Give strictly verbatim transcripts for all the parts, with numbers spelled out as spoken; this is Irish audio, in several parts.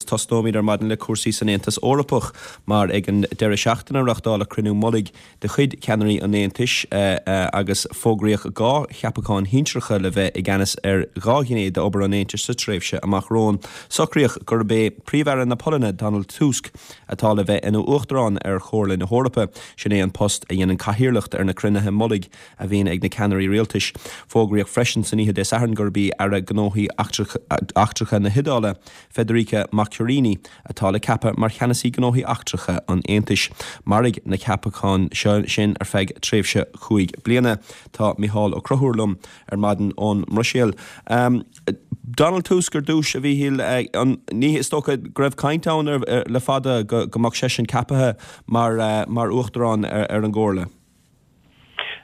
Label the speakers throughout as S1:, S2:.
S1: tosnóimid ar maidin le cúrsaí san Aontas Eorpach mar ag an deireadh seachtaine reáchtáladh cruinniú mullaigh de chuid ceannairí an Aontais agus fógraíodh dhá cheapachán shinsearacha le bheith i gceannas ar dhá ghné d'obair an Aontais sa tréimhse amach romhainn. Socraíodh gurb é Príomh-Aire na Polainne Donald Tusk atá le bheith ina uachtarán ar Chomhairle na hEorpa, sin é an post a dhéanann cathaoirleacht ar na cruinnithe mullaigh a bhíonn ag na ceannairí rialtais. Fógraíodh freisin san oíche Dé Sathairn gurb í Aire Gnóthaí Eachtracha na hIodáile, Federica Mogherini, atá le ceapadh mar cheannasaí gnóthaí eachtracha an Aontais. Mairfidh na ceapacháin seo sin ar feadh tréimhse cúig bliana. Tá Micheál Ó Conchúir liom ar maidin ón mBruiséil. Um, Donald Tusk ar dtús a Mhíchíl an ní is dócha go raibh caint ann le fada go, go mbeadh seisean ceaptha mar, uh, mar uachtarán ar, ar an gComhairle.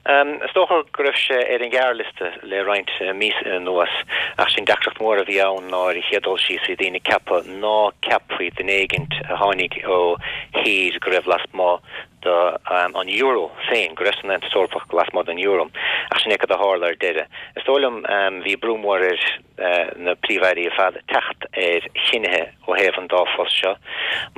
S2: Um, is dócha go raibh sé ar an ghearrliosta le roinnt uh, mí anuas ach sin deacracht mór a bhí ann ná ar chéad dul síos bhí daoine ag ceapadh ná ceapfaí duine éigint a tháinig ó thír go raibh lasmuigh de um, an euro féin go raibh san Aontas Eorpach lasmuigh den euro ach sin é cad a tharla ar deireadh. Is dóigh liom um, bhí brú mór ar uh, na príomh-airí ar fad teacht ar chinneadh ó thaobh an dá phost seo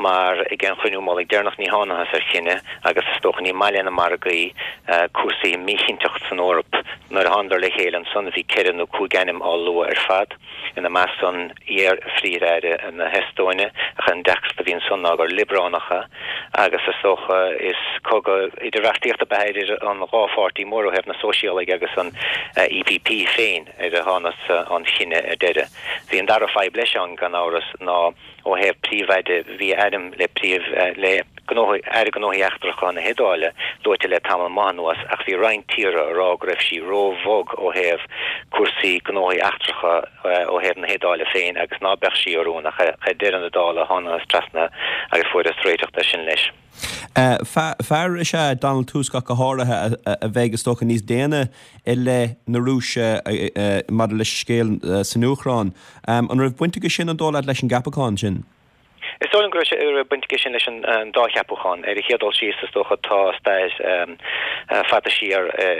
S2: mar ag an chruinniú mullaigh deireanach ní thángthas ar chinneadh agus is dócha ní maith leis na margaí uh, cúrsaí míchinnteacht san Eoraip nuair a thánadar le chéile ansan bhí ceithre nó cúig ainm á lua ar fad ina measc san iar-phríomh-aire na hEastóine ach an deacracht a bhí ansan ná gur liobrálach é agus is dócha is cogadh idirbheartaíochta ab ea idir an dhá pháirtí mór ó thaobh na sóisialaigh agus an uh, EPP féin ar a thángthas uh, an chinneadh ar deireadh. Bhí an dara fadhb leis an gan amhras ná ó thaobh príomh-aire bhí ainm le príomh uh, le gnóthaí aire gnóthaí eachtracha na hIodáile luaite le tamall maith anuas ach bhí roinnt tíortha ag rá go raibh sí róbhog ó thaobh cúrsaí gnóthaí eachtracha ó thaobh na hIodáile féin agus ná beadh sí oiriúnach ach ag deireadh na dála thángthas trasna agus fuarthas réiteach de sin leis.
S1: Uh, fear is ea Donald Tusk go háirithe a bheidh is dócha níos déine i leith na Rúise uh, maidir leis scéal uh, san Úcráin. Um, an raibh baint aige sin an dóigh leat leis an gceapachán sin?
S2: Is dóigh go raibh baint aige sin leis an dá cheapachán ar a chéad dul síos is dócha tá stair um, uh, fada siar uh,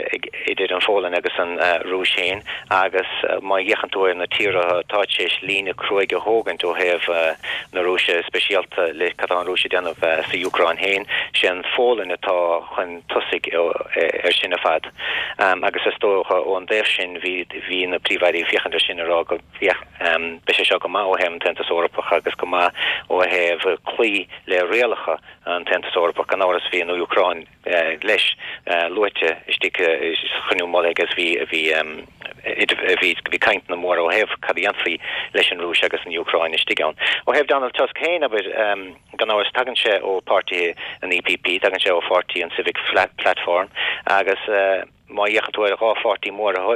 S2: idir an Pholainn agus an uh, Rúis féin agus uh, má fhéachann tú ar na tíortha atá tar éis líne chruaidh a thógaint ó thaobh uh, na Rúise speisialta le cad tá an Rúis ag déanamh uh, sa Úcráin féin sé an Pholainn atá chun tosaigh ar sin ar fad. Um, agus is dócha ón dtaobh sin bhí bhí na príomh-airí ag féachaint air sin rá go um, be sé seo go maith ó thaobh an tAontas Eorpach agus go maith ó thaobh cloí le rialacha an tAontas Eorpach gan amhras bhí an Úcráin uh, leis uh, luaite istigh uh, chruinniú mullaigh agus bhí bhí um, bhí bhí cainteanna móra ó thaobh cad a dhéanfaí leis an Rúis agus an Úcráin istigh ann. Ó thaobh Donald Tusk féin aber um, gan amhras tagann sé ó pháirtí an EPP, tagann sé ó pháirtí an Civic Platform agus uh, má fhéachann tú ar dhá pháirtí mór ó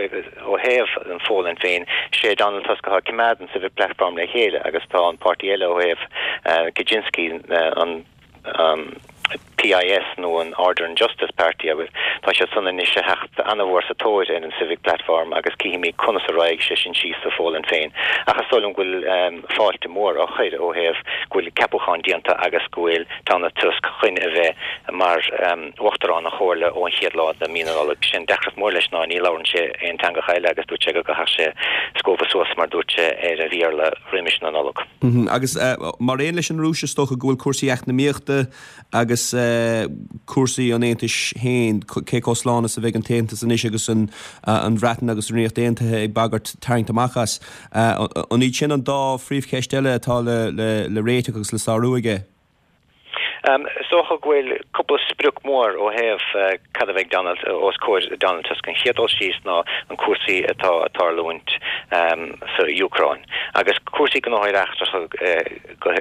S2: thaobh an Pholainn féin sé Donald Tusk atá ag coimeád an Civic Platform le chéile agus tá an páirtí eile ó thaobh uh, Kaczynski uh, an um, PIS nó an Order and Justice Party agus tá sé san anois ag teacht an-mhór sa tóir ar an Civic Platform agus cífimid conas a raghaidh sé sin síos sa Pholainn féin. Ach is dóigh liom go bhfuil um, fáilte mór á chur ó thaobh go bhfuil ceapachán déanta agus go bhfuil Donald Tusk chun a bheith mar um, uachtarán na Comhairle ón chéad lá de mhí na Nollag sin deacracht mór leis ná ní labhrann sé aon teanga eile agus dúirt sé go gcaithfeadh sé scópa suas mar dúirt sé ar a Bhéarla roimis na Nollag.
S1: Mm -hmm. Agus uh, mar aon leis an Rúis is dócha go bhfuil cúrsaí eacnamaíochta agus uh, cúrsaí an Aontais féin cé chomh slán is a bheidh an tAontas anois agus an, uh, an Bhreatain agus an Ríocht Aontaithe ag bagairt tarraingt amach as. Uh, an iad sin an dá phríomhcheist eile atá le, le, le réiteach agus le sárú aige.
S2: Um, is dócha go bhfuil cúpla sprioc mór ó thaobh uh, cad a bheidh Donald os comhair Donald Tusk an chéad dul síos ná an cúrsaí atá ag tarlúint um, sa Úcráin. Agus cúrsaí gnóthaí eachtracha uh,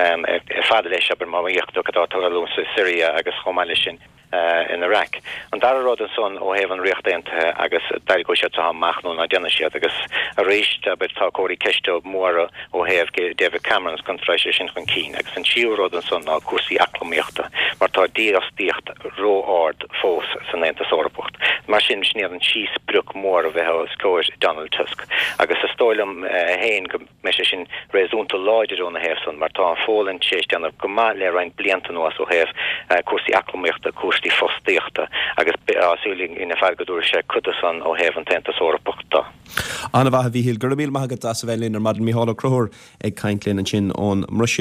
S2: um, ar fad leis aber má fhéachann tú cad atá ag tarlúint sa Siria agus chomh maith leis sin uh, in Iraq. An dara rud ansan ó thaobh an Ríocht Aontaithe agus d'éireoidh siad amach nó ná déanfaidh siad agus arís aber tá cóirí ceiste móra ó thaobh David Cameron contra sin chun cinn agus an tríú rud ansan ná cúrsaí eacnamaíochta mar tá dífhostaíocht ró-ard fós san Aontas Eorpach. Mar sin sin iad an trí sprioc mór a bheidh os comhair Donald Tusk. Agus is dóigh liom féin go mbeidh sé sin réasúnta láidir óna thaobh san mar tá an Pholainn tar éis déanamh go maith le roinnt blianta anuas ó thaobh cúrsaí eacnamaíochta cúrsaí fostaíochta agus súil ina fear go dúir sé chudasan ó thaobh an tAontas Eorpach de.
S1: An-mhaith a Mhíchíl go raibh míle maith agat as a bheith linn ar maidin Micheál Ó Conchúir ag caint linn ansin ón mBruiséil.